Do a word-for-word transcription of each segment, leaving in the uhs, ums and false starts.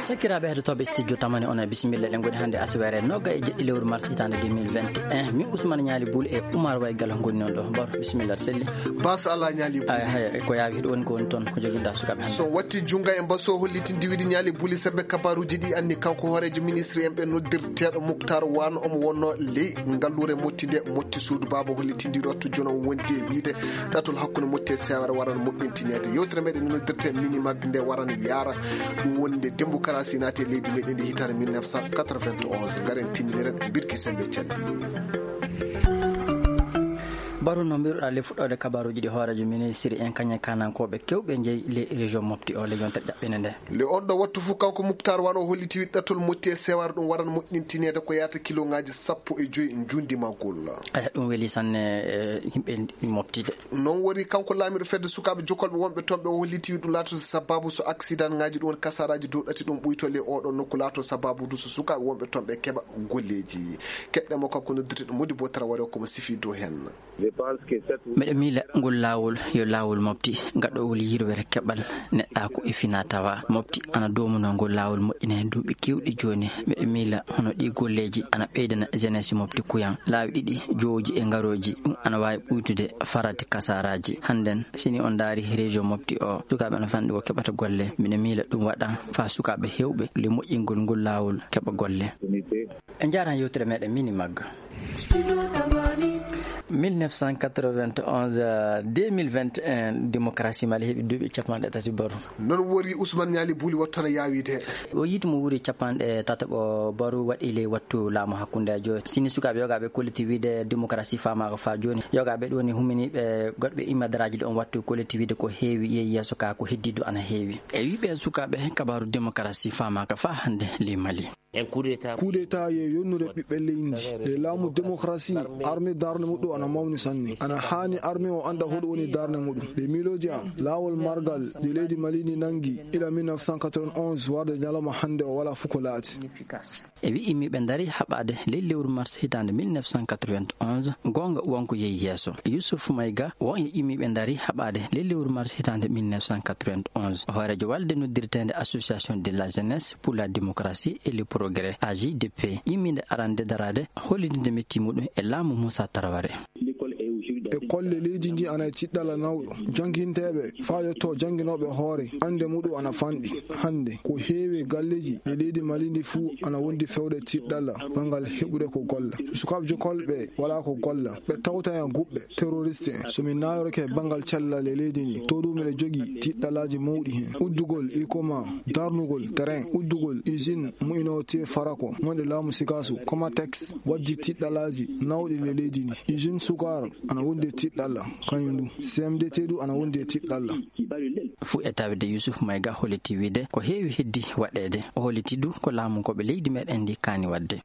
Sakiraaɓe heɗotooɓe studio Tamani, on e bisimilla. Eɗen ngoni hannde asibere noga e jeɗɗi lewru mars hitaande deux mille vingt et un. Min Ousmane Ñaali Buuli e Oumar Waygal ngoni noon ɗo. Bor, bisimilla, selli. Bas Alla Ñaali Buuli. Ay, hay, ko yaawi hiɗo woni ko woni toon, ko joginɗa sukaaɓe hannde? So watti junnga e mbaso hollitinde wiide Ñaali Buuli sembe kabaruuji ɗi anni kanko hooreejo ministre en ɓe noddirteeɗo Muktar Wan, omo wonno ley ngalluure motti nde motti suudu baaba hollitinde ɗo to jono wonde wiide ɗatol hakkunde motti e sewere waran moƴƴintineede. Yewtere meɗen noddirte Minimag nde waran yaara. Ɗum woni nde démocratie naati e leydi meɗen ndi hitaande mille neuf cent quatre-vingt-onze. Ngaren timminiren birki sembe calli. Baru no mbiruɗa le fuɗɗoode kabaruuji ɗi hooreejo ministre en kañe kanankooɓe kewɓe jeyi le région mofti o le yontere ƴaɓɓinde nde. Le on ɗo wattu fof kanko Muktar Wan o holliti wiɗɗatol motti e sewar ɗum waran moƴƴintineede ko yaata kiloŋaaji sappo e joyi njundi magol. Aya, ɗum weli sanne, e, yimɓe mofti de. Noon woni kanko laamiiɗo fedde sukaaɓe jokolɓe wonɓe toon ɓe o holliti wiɗɗum laatoto sababu so accident ŋaaji ɗum woni kasaraaji dow ɗati ɗum ɓuyto le oɗo nokku laato sababu du so sukaaɓe wonɓe toon ɓe keɓa golleeji. Keɗɗe mo kanko noddirteɗo Modibo Traoré komo sifi dow heen. Meɗe miila ngol laawol yo laawol mofti gaɗowol yirwere keɓal neɗɗaaku e fina tawa. Mofti ana doomuno ngol laawol moƴƴina heen duuɓi keewɗi jooni. Meɗe miila hono ɗi golleeji ana ɓeydana jeunesse mofti kuyan. Laawi ɗiɗi jooji e ngarooji, ɗum ana waawi ɓuytude farati kasaraaji. Hannden, sini on ndaari région mofti o, sukaaɓe ana fanɗi ko keɓata golle. Meɗe miila ɗum waɗa faa sukaaɓe heewɓe le moƴƴingol ngol laawol keɓa golle. En njaaraan yewtere meɗen Minimag. Mille neuf cent quatre-vingt-onze, euh, deux mille vingt et un, démocratie Mali heɓi duuɓi capanɗe tati baru. Noon wori Ousmane Ñaali Buuli wattu ana yaawiide. O yiiti mo wuuri capanɗe tataɓo baru waɗi ley wattu laamu hakkundeejo. Sini sukaaɓe yogaaɓe kolliti wiide démocratie faamaaka faa jooni. Yogaaɓe ɗo ni huminiiɓe goɗɓe immadaraaji ɗo on wattu kolliti wiide ko heewi yehi yeeso ka ko heddiiɗo ana heewi. E wiiɓe sukaaɓe kabaaru démocratie faamaaka faa hannde ley Mali. Coup d'État ye yonnude ɓiɓɓe leydi. Nde laamu démocratie, armée darnde muɗum ana mawni sanne. Ana haani armée o annda hoɗum woni darnde muɗum. Nde miilooji am, laawol margal nde leydi Mali ndi nanngi ila mille neuf cent quatre-vingt-onze warde ñalawma hannde o walaa fof ko laati. E wi immiiɓe ndari haɓaade ley lewru mars hitaande mille neuf cent quatre-vingt-onze, goonga wonko yehi yeeso. Youssouf Maïga won e immiiɓe ndari haɓaade ley lewru mars hitaande mille neuf cent quatre-vingt-onze. Hooreejo walde noddirteende Association de la Jeunesse pour la Démocratie et le Progrès, A J D P, ƴimmiinde arande daraade hollitinde metti muɗum e laamu Moussa Traoré. École e leydi ndi ana e tiɗɗalla nawɗo. Jannginteeɓe faa yotto jannginooɓe hoore, annde muɗum ana fanɗi. Hannde, ko heewi e galleeji e leydi Mali ndi fuu ana wondi fewde tiɗɗalla banngal heɓude ko golla. Sukaaɓe jokolɓe walaa ko golla. Ɓe tawta e guɓɓe terroriste en. So mi nayorake banngal cellal e leydi ndi, to ɗum miɗo jogii tiɗɗallaaji mawɗi heen. Uddugol ikoma, darnugol terrain, uddugol usine mu'inoo tee farako, wonde laamu Sikaasu, Comatex, waddi tiɗɗallaaji nawɗi e leydi ndi. Usine Sukar ana wondi e tiɗɗalla, kañum du. C M D T du ana wondi e tiɗɗalla. Fuu e tawde Youssouf Maïga holliti wiide ko heewi heddi waɗeede. O holliti du ko laamu ko ɓe leydi meɗen ndi kaani waɗde.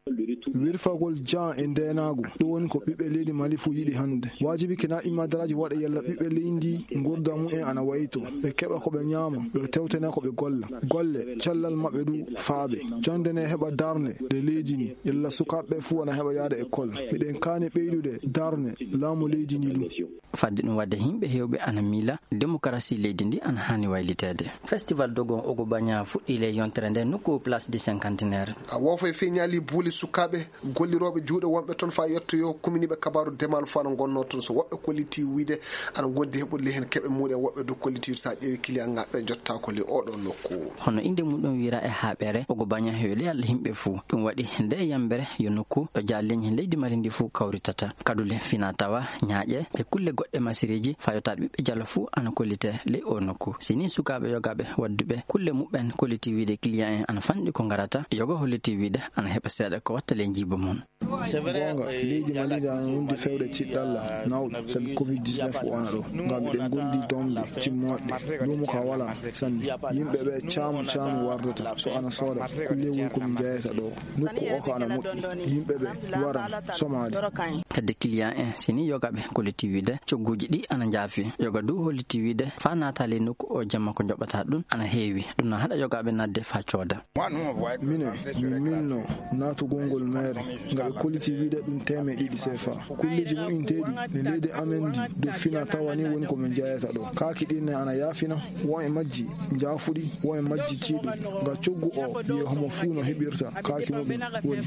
Wirfagol jaan e ndeenaagu, ɗum woni ko ɓiɓɓe leydi Mali fuu yiɗi hannde. Waajibi kina immadaraaji waɗa yalla ɓiɓɓe leydi ndi ngurda mumen ana wayto. Ɓe keɓa ko ɓe ñaama, ɓe tewtene ko ɓe golla. Golle, cellal maɓɓe du faabe. Jonnde ne heɓa darnde nde leydi ndi, yalla sukaaɓe fuu ana heɓa yaade école. Miɗen kaani ɓeydude darnde laamu leydi ndi du. Fadde ɗum waɗde, yimɓe heewɓe ana miila démocratie leydi ndi ana haani wayliteede. Festival Dogon Ogo Banya fuɗɗii ley yontere nde nokku Place du Cinquantenaire. A woofo e feñaali buuli sukaaɓe gollirooɓe juuɗe wonɓe toon faa yettoyoo kuminiiɓe kabaaru demal fuu ana ngonnoo toon. So woɓɓe kolliti wiyde ana ngondi heɓude ley heen keɓe muɗum, woɓɓe du kolliti wiyde so a ƴeewi kiliyan ŋaaɓe ɓe njottaako ley oɗo nokku. Hono innde muɗum wiyra e haaɓere, Ogo Banya heewi ley yalla yimɓe fuu. Ɗum waɗi nde yambere yo nokku ɗo jaalleeji leydi Mali ndi fuu kawritata. Kadule fina tawa, ñaaƴe e kulle goɗɗe masiriiji fayotaaɗe ɓiɓɓe jalo fuu ana kollite ley o nokku. Si ni sukaaɓe yogaaɓe wadduɓe kulle muɓɓen kolliti wiyde kiliyan en ana fanɗi ko ngarata, yogo holliti wiyde ana heɓa seeɗa ko watta ley njiiba mum. Goonga, leydi Mali ndi ana wondi fewde tiɗɗalla nawɗo sabi covid dix-neuf o ana ɗo. Ngam miɗen gondi domde timmooɗe. Luumo ka wala sanne. Yimɓe ɓe caamu caamu wardata. So ana sooda, kulle woni ko min jeyata ɗo. Nokku o ko ana moƴƴi. Yimɓe ɓe waran somaade. Kadi kiliyan en, si ni yogaaɓe kolliti wiyde Cogguuji ɗi ana njaafi. Yoga du holliti wiide faa naata ley nokku o jamma ko njoɓata ɗum ana heewi. Ɗum na haɗa yogaaɓe naatde faa cooda. Minen, min milno naatugol ngol meere, nga e koliti wiide ɗum teemeɗe ɗiɗi sefa. Kulleeji moƴƴinteeɗi ne leydi amen ndi do fina tawa ni woni ko min jeyata ɗo. Kaaki ɗin ne ana yaafina, won e majji njaafuɗi, won e majji ciiɗuɗi. Nga coggu o, wiye homo fuu no heɓirta kaaki muɗum woni.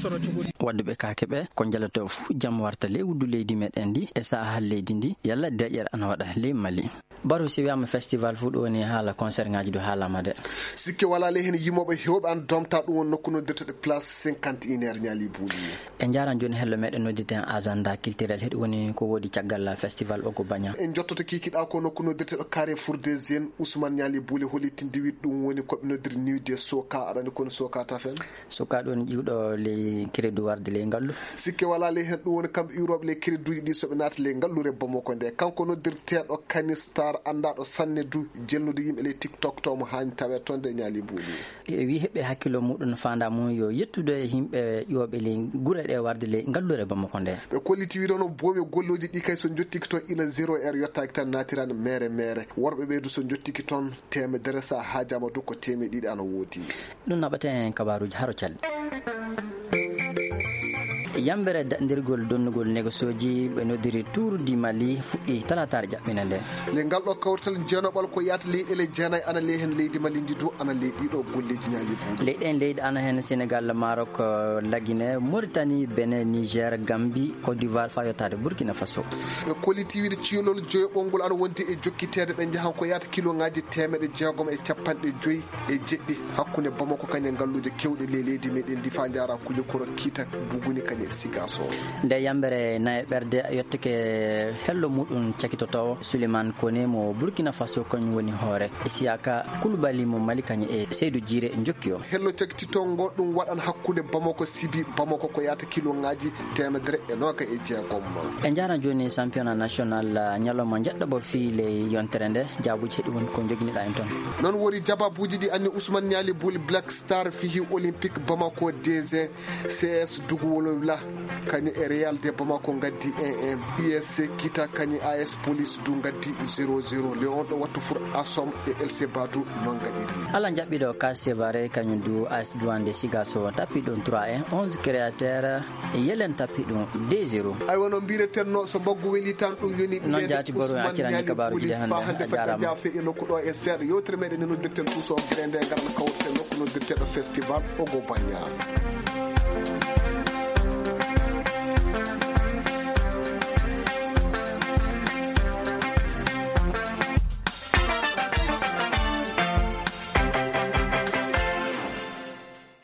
Wadduɓe kaake ɓe, ko njalata fuu jam warta ley wuddu leydi meɗen ndi e saaha leydi ndi, yalla deƴƴere ana waɗa ley Mali. Baru, si wiyaama festival fuu, ɗum woni haala concert ŋaaji ɗo haalaama de. Sikke walaa ley heen yimooɓe heewɓe ana domta ɗum woni nokku noddirteɗo Place cinquante et un heures Ñaali Buuli. En njaaran jooni hello meɗen noddirten agenda culturel, heɗi woni ko woodi caggal festival Ogo Baña. En njottoto kiikiɗa ko nokku noddirteɗo Carrefour des Jeunes, Ousmane Ñaali Buuli hollitindi wiɗ ɗum woni ko ɓe noddiri Nuit des Soka, aɗa anndi kono Soka tafen? Soka ɗum woni ƴiwɗo ley crédit warde ley ngallu. Sikke walaa ley heen ɗum woni kamɓe iwrooɓe ley crédituuji ɗi so ɓe naati ley ngallure Bamako nde. Kanko noddirteeɗo Kanistar, anndaaɗo sanne du, jelnude yimɓe ley TikTok to mo haani tawee toon de Ñaali Buuli. E wi heɓɓe hakkillo muɗum faanda mum yo yettude e yimɓe ƴooɓe ley gure ɗe warde ley ngallure Bamako nde. Ɓe kolliti wiide hono boomi gollooji ɗi kay so njottiki toon ila zéro heure yottaaki tan naatiran meere meere. Worɓe ɓe du so njottiki toon teemedere, so a haajaama du ko teemeɗe ɗiɗi ana woodi. Ɗum naɓata en kabaaruuji haro calɗi. Yambere daɗndirgol donnugol negosooji ɓe noddiri Tour du Mali fuɗɗi talaataare jaɓɓine nde. Ley ngal ɗo kawrital jeenoɓal ko yaata leyɗeele jeenayi ana ley heen leydi Mali ndi du ana ley ɗiɗo golleeji Ñaali Buuli. Leyɗe en leydi ana heen Senegal, Maroc, eh, Lagine, Mauritanie, Benin, Niger, Gambie, Côte d'Ivoire faa yottaade Burkina Faso. Ɓe kolliti wiide ciilol joyo ɓolngol ana wondi e jokkiteede ɓe njahan ko yaata kiloŋaaji teemeɗe jeegom e capanɗe joyi e jeɗɗi hakkunde Bamako kañe ngalluuje kewɗe ley leydi meɗen ndi faa njaara Kulikoro, Kiita, Buguni kañe Sigaso. Nde yambere naye ɓerde yottake hello muɗum cakitotowo Suleiman Kone mo Burkina Faso kañum woni hoore. Isiyaka Kulubali mo Mali kañum e Seydu Jiire njokki o. Hello cakititoo ngo ɗum waɗan hakkunde Bamako Sibi, Bamako ko yaata kiloŋaaji teemedere e noogaye e jeegom. En njaaran jooni championnat national, ah, ñalawma njeɗɗaɓo fii ley yontere nde. Jaabuuji heɗi won ko njoginiɗaa en toon. Noon wori jabaabuuji ɗi anni Ousmane Ñaali Buuli Black Star fii Olympique Bamako D G, C S Dugu Wolowla, kañum e Real de Bamako ngaddi un un, U S C Kita kañum A S Police du ngaddi zéro zéro. Le on ɗo wattu fur Asom e L C Badu noon ngaɗiri. Ala jaɓɓiɗo K C Bare kañum du A S Duwande Sigaso tappi ɗum trois un, onze créateur Yelen tappi ɗum deux zéro. Aywa, no mbiretenno, so mbaggu weli tan ɗum yoni. Noon jaati Boru, accirani kabaaruuji ɗi hannde. Faa hannde fedde jaafe e nokku ɗo e seeɗa. Yewtere meɗen ne noddirten ɗum so gere nde ngaran kawriten nokku noddirteɗo festival Ogo Baña.